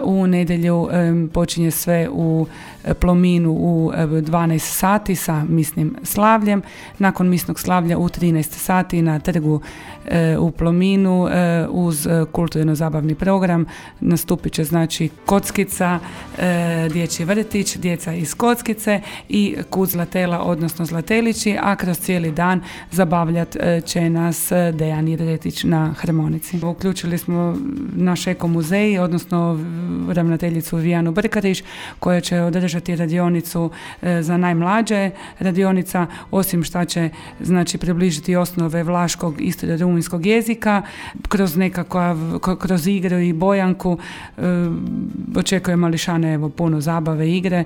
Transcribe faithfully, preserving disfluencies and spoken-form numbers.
u nedjelju počinje sve u Plominu u dvanaest sati sa misnim slavljem. Nakon misnog slavlja u trinaest sati na trgu u Plominu uz kulturno-zabavni program nastupit će znači Kockica, dječji vrtić, djeca iz Kockice i Kud Zlatela, odnosno Zlatelići, a kroz cijeli dan zabavljat će nas Dejan Iretić na harmonici. Uključili smo naš eko muzej, odnosno ravnateljicu Vijanu Brkariš, koja će održati radionicu za najmlađe. Radionica, osim šta će znači približiti osnove vlaškog istorije rumunjskog jezika, kroz nekakav, kroz igru i bojanku, očekuje mališane evo puno zabave, igre